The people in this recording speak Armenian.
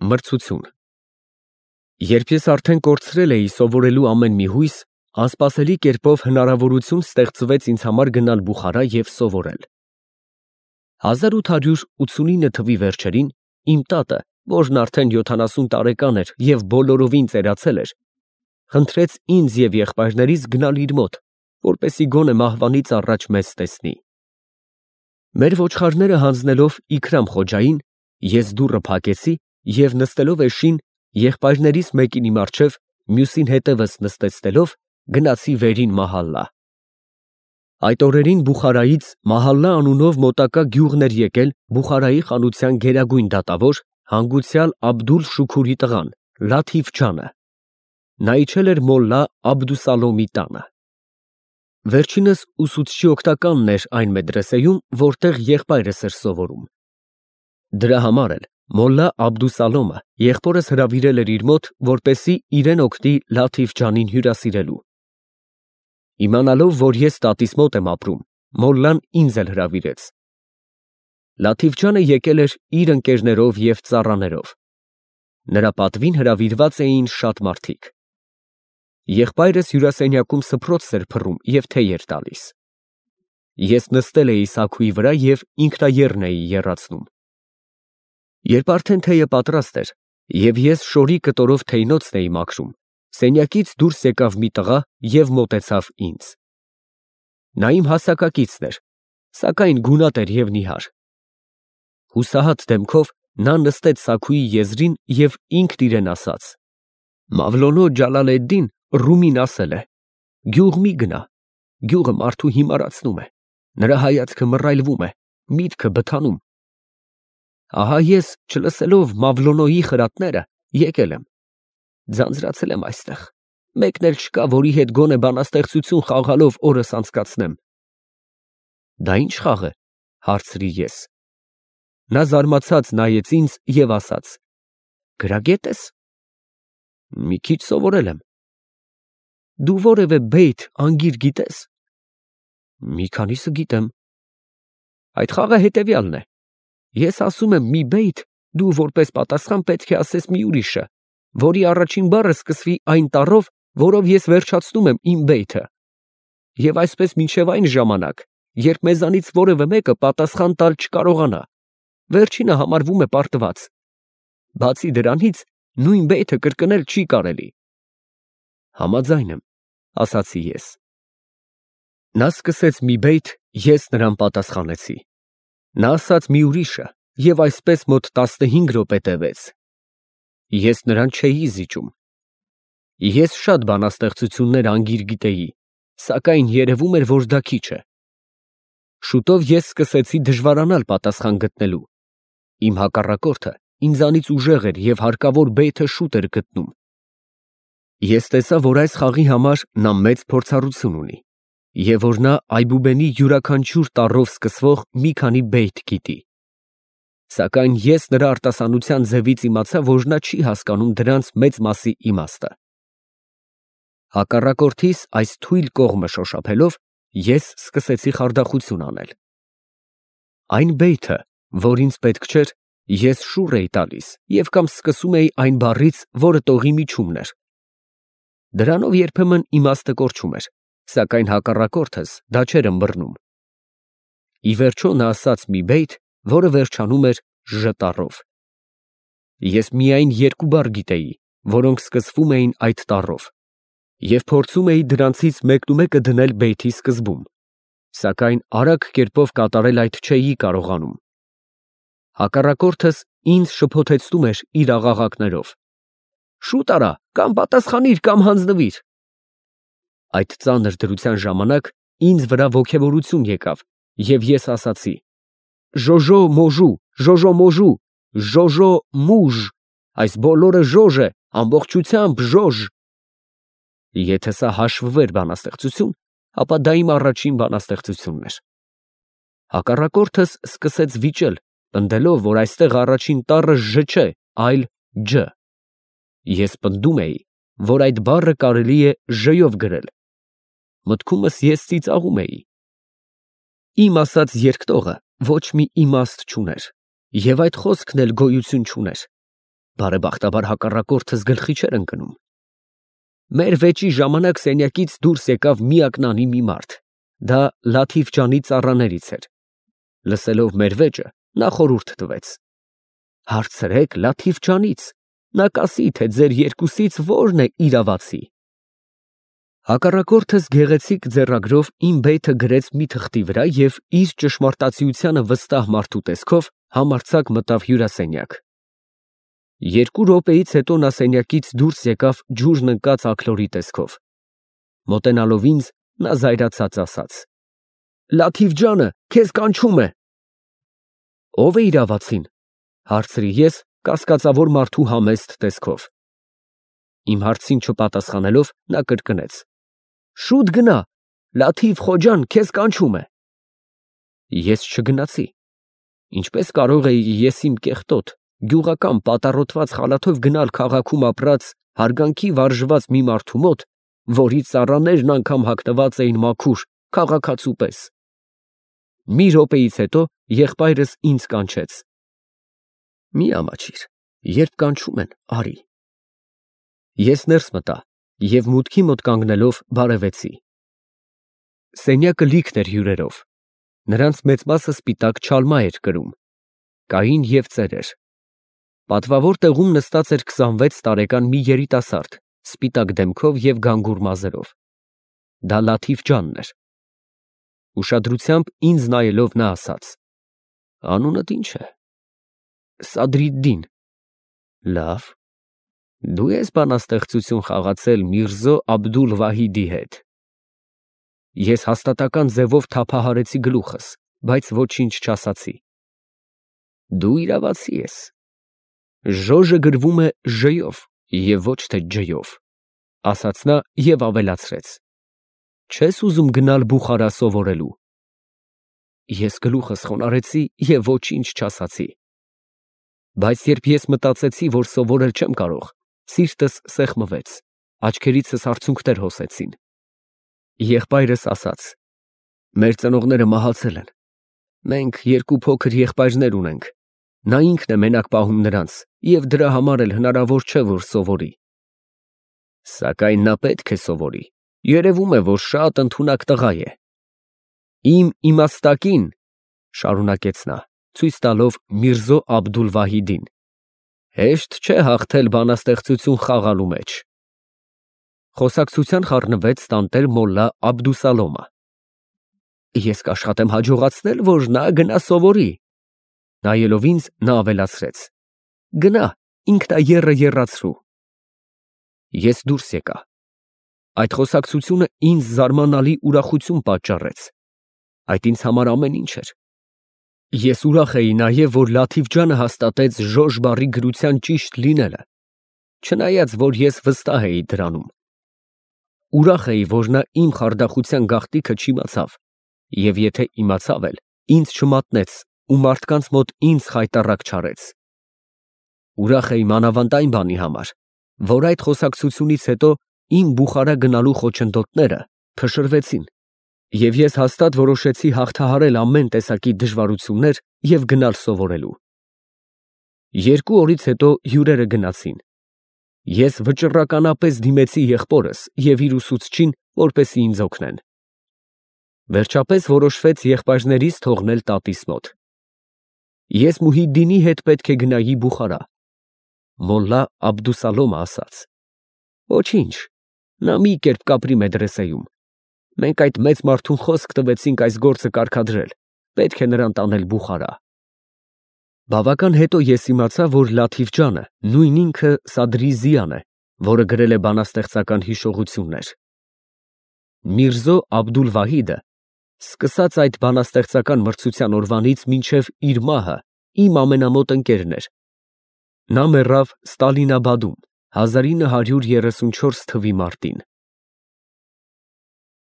Մրցություն։ Երբ ես արդեն կորցրել էի սովորելու ամեն մի հույս, անսպասելի կերպով հնարավորություն ստեղծվեց ինձ համար գնալ Բուխարա և սովորել։ 1889 թվականի վերջերին իմ տատը, որն արդեն 70 տարեկան էր և բոլորովին ծերացել էր, խնդրեց ինձ և եղբայրներիս գնալ իր մոտ, որպեսզի գոնե մահվանից առաջ մեզ տեսնի։ Մեր ոչխարները հանձնելով Իքրամ խոջային, ես դուռը փակեցի և նստելով էշին, եղբայրներիս մեկին իմ առջև, մյուսին հետևս նստեցնելով, գնացի վերին մահալա։ Այդ օրերին Բուխարայից Մահալլա անունով մոտակա գյուղն էր եկել Բուխարայի խանության գերագույն դատավոր, հանգուցյալ Աբդուլ֊Շուքուրի տղան, Լաթիֆ ջանը։ Նա իջել էր մոլլա Աբդուսալոմի տանը։ Վերջինս ուսուցչի օգնականն էր այն մեդրեսեյում, որտեղ եղբայրս էր սովորում։ Դրա համար էլ մոլլա Աբդուսալոմը եղբորս հրավիրել էր իր մոտ, որպեսզի իրեն օգնի Լաթիֆ ջանին հյուրասիրելու։ Իմանալով, որ ես տատիս մոտ եմ ապրում, մոլլան ինձ էլ հրավիրեց։ Լաթիֆ ջանը եկել էր իր ընկերներով և ծառաներով։ Նրա պատվին հրավիրված էին շատ մարդիկ։ Եղբայրս հյուրասենյակում սփռոց էր փռում և թեյ էր տալիս։ Ես նստել էի սաքուի վրա և ինքնաեռն էի եռացնում։ Երբ արդեն թեյը պատրաստ էր, և ես շորի կտորով թեյնոցն էի մաքրում, սենյակից դուրս եկավ մի տղա և մոտեցավ ինձ։ Նա իմ հասակակիցն էր, սակայն գունատ էր և նիհար։ Հուսահատ դեմքով նա նստեց սաքուի եզրին և ինքն իրեն ասաց. «Մավլոնո Ջալալեդդին Ռումին ասել է. գյուղ մի գնա, գյուղը մարդու հիմարացնում է, նրա հայացքը մռայլվում է, միտքը բթանում։ Ահա ես, չլսելով Մավլոնոյի խրատները, եկել եմ, ձանձրացել եմ այստեղ, մեկն էլ չկա, որի հետ գոնե բանաստեղծություն խաղալով օրս անցկացնեմ»։ «Դա ի՞նչ խաղ է», հարցրի ես։ Նա զարմացած նայեց ինձ և ասաց. «Գրագե՞տ ես»։ «Մի քիչ սովորել եմ»։ «Դու որևէ բեյթ, անգիր գիտե՞ս»։ «Մի քանիսը գիտեմ»։ «Այդ խաղը հետևյալն է. ես ասում եմ մի բեյթ, դու որպես պատասխան պետք է ասես մի ուրիշը, որի առաջին բառը սկսվի այն տառով, որով ես վերջացնում եմ իմ բեյթը, և այսպես մինչև այն ժամանակ, երբ մեզանից որևէ մեկը պատասխան տալ չկարողանա, վերջինը համարվում է պարտված։ Բացի դրանից, նույն բեյթը կրկնել չի կարելի»։ «Համաձայն եմ», ասացի ես։ Նա սկսեց մի բեյթ, ես նրան պատասխանեցի։ Նա ասաց մի ուրիշը, և այսպես մոտ 15 րոպե տևեց։ Ես նրան չէի զիջում։ Ես շատ բանաստեղծություններ անգիր գիտեի, սակայն երևում էր, որ դա քիչ է։ Շուտով ես սկսեցի դժվարանալ պատասխան գտնելու։ Իմ հակառակորդը ինձանից ուժեղ էր և հարկավոր բեյթը շուտ էր գտնում։ Ես տեսա, որ այս խաղի համար նա մեծ փորձառություն ունի, և որ նա Այբուբենի յուրաքանչյուր տառով սկսվող մի քանի բեյթ գիտի։ Սակայն ես նրա արտասանության ձևից իմացա, որ նա չի հասկանում դրանց մեծ մասի իմաստը։ Հակառակորդիս այս թույլ կողմը շոշափելով, ես սկսեցի խարդախություն անել։ Այն բեյթը, որ ինձ պետք չէր, ես շուռ էի տալիս և կամ սկսում էի այն բառից, որը տողի միջումն էր։ Դրանով երբեմն իմաստը կորչում էր, սակայն հակառակորդս դա չէր ըմբռնում։ Ի վերջո նա ասաց մի բեյթ, որը վերջանում էր Ժ տառով։ Ես միայն երկու բառ գիտեի, որոնք սկսվում էին այդ տառով, և փորձում էի դրանցից մեկնումեկը դնել բեյթի սկզբում, սակայն արագ կերպով կատարել այդ չէի կարողանում։ Հակառակորդս ինձ շփոթեցնում էր իր աղաղակներով. «Շուտ արա, կամ պատասխանիր, կամ հանձնվիր»։ Այդ ծանր դրության ժամանակ ինձ վրա ոգևորություն եկավ, և ես ասացի. «Ժոժո մոժու, ժոժո մոժու, ժոժո մուժ, այս բոլորը ժոժ է, ամբողջությամբ ժոժ»։ Եթե սա հաշվվեր բանաստեղծություն, ապա դա իմ առաջին բանաստեղծությունն էր։ Հակառակորդս սկսեց վիճել, պնդելով, որ այստեղ առաջին տառը Ժ չէ, այլ Ջ։ Ես պնդում էի, որ այդ բառը կարելի է Ժ-ով գրել։ Մտքումս ես ծիծաղում էի։ Իմ ասած երկտողը ոչ մի իմաստ չուներ, և այդ խոսքն էլ գոյություն չուներ։ Բարեբախտաբար հակառակորդս գլխի չէր ընկնում։ Մեր վեճի ժամանակ սենյակից դուրս եկավ միակնանի մի մարդ։ Դա Լաթիֆ ջանի ծառաներից էր։ Լսելով մեր վեճը, նա խորհուրդ տվեց. «Հարցրեք Լաթիֆ ջանից, նա կասի, թե ձեր երկուսից որն է իրավացի»։ Հակառակորդս գեղեցիկ ձեռագրով իմ բեյթը գրեց մի թղթի վրա և իր ճշմարտացիությանը վստահ մարդու տեսքով համարձակ մտավ հյուրասենյակ։ 2 րոպեից հետո նա սենյակից դուրս եկավ ջուրն ընկած աքլորի տեսքով։ Մոտենալով ինձ, նա զայրացած ասաց. «Լաթիֆ ջանը, քեզ կանչում է»։ «Ո՞վ է իրավացին», հարցրի ես կասկածավոր մարդու համեստ տեսքով։ Իմ հարցին չպատասխանելով, նա կրկնեց. «Շուտ գնա, Լաթիֆ խոջան քեզ կանչում է»։ Ես չգնացի։ Ինչպես կարող էի ես իմ կեղտոտ, գյուղական պատառոտված խալաթով գնալ քաղաքում ապրած, հարգանքի վարժված մի մարդու մոտ, որի ծառաներն անգամ հագնված էին մաքուր, քաղաքացու պես։ Մի րոպեից հետո եղբայրս ինձ կանչեց. «Մի ամաչիր, երբ կանչում են, արի»։ Ես ներս մտա և մուտքի մոտ կանգնելով բարևեցի։ Սենյակը լիքն էր հյուրերով։ Նրանց մեծ մասը սպիտակ չալմա էր կրում։ Կային և ծերեր։ Պատվավոր տեղում նստած էր 26 տարեկան մի երիտասարդ, սպիտակ դեմքով և գանգուր մազերով։ Դա Լաթիֆ ջանն էր։ Ուշադրությամբ ինձ նայելով նա ասաց. «Անունդ ի՞նչ է»։ Սադրիդդին։ Լավ, դու ես բանաստեղծություն խաղացել Միրզո Աբդուլ֊Վահիդի հետ։ Ես հաստատական ձևով թափահարեցի գլուխս, բայց ոչինչ չասացի։ Դու իրավացի ես։ Ժոժը գրվում է Ժ-ով և ոչ թե Ջ-ով, ասաց նա և ավելացրեց. Չես ուզում գնալ Բուխարա սովորելու։ Ես գլուխս խոնարհեցի և ոչինչ չասացի։ Բայց երբ ես մտածեցի, որ սովորել չեմ կարող, սիրտս սեղմվեց, աչքերիցս արցունքներ հոսեցին։ Եղբայրս ասաց. «Մեր ծնողները մահացել են։ Մենք 2 փոքր եղբայրներ ունենք։ Նա ինքն է մենակ պահում նրանց և դրա համար էլ հնարավոր չէ, որ սովորի։ Սակայն նա պետք է սովորի, երևում է, որ շատ ընդունակ տղա է։ Իմ իմաստակին, շարունակեց նա, ցույց տալով Միրզո Աբդուլ-Վահիդին, հեշտ չէ հաղթել բանաստեղծություն խաղալու մեջ»։ Խոսակցության խառնվեց տանտեր մոլլա Աբդուսալոմը։ Ես կաշխատեմ հաջողացնել, որ նա գնա սովորի։ Նայելով ինձ, նա ավելացրեց. Գնա, ինքնաեռը եռացրու։ Ես դուրս եկա։ Այդ խոսակցությունը ինձ զարմանալի ուրախություն պատճառեց։ Այդ ինձ համար ամեն ինչ էր։ Ես ուրախ էի նաև, որ Լաթիֆ ջանը հաստատեց Ժոժ բառի գրության ճիշտ լինելը, չնայած որ ես վստահ էի դրանում։ Ուրախ էի, որ նա իմ խարդախության գաղտնիքը չիմացավ, և եթե իմացավ էլ, ինձ չմատնեց ու մարդկանց մոտ ինձ խայտառակ չարեց։ Ուրախ էի մանավանդ այն բանի համար, որ այդ խոսակցությունից հետո իմ Բուխարա գնալու խոչընդոտները փշրվեցին, և ես հաստատ որոշեցի հաղթահարել ամեն տեսակի դժվարություններ և գնալ սովորելու։ 2 օրից հետո հյուրերը գնացին։ Ես վճռականապես դիմեցի եղբորս և իր ուսուցչին, որպեսզի ինձ օգնեն։ Վերջապես որոշվեց եղբայրներիս թողնել տատիս մոտ։ Ես Մուհիդդինի հետ պետք է գնայի Բուխարա։ Մոլլա Աբդուսալոմը ասաց. Ոչինչ, նա մի կերպ կապրի մեդրեսեում։ Մենք այդ մեծ մարդուն խոսք տվեցինք այս գործը կարգադրել, պետք է նրան տանել Բուխարա։ Բավական հետո ես իմացա, որ Լաթիֆ ջանը նույն ինքը Սադրի Զիան է, որը գրել է բանաստեղծական հիշողություններ։ Միրզո Աբդուլ-Վահիդը, սկսած այդ բանաստեղծական մրցության օրվանից մինչև իր մահը, իմ ամենամոտ ընկերն էր։ Նա մեռավ Ստալինաբադում 1934 թվականի մարտին։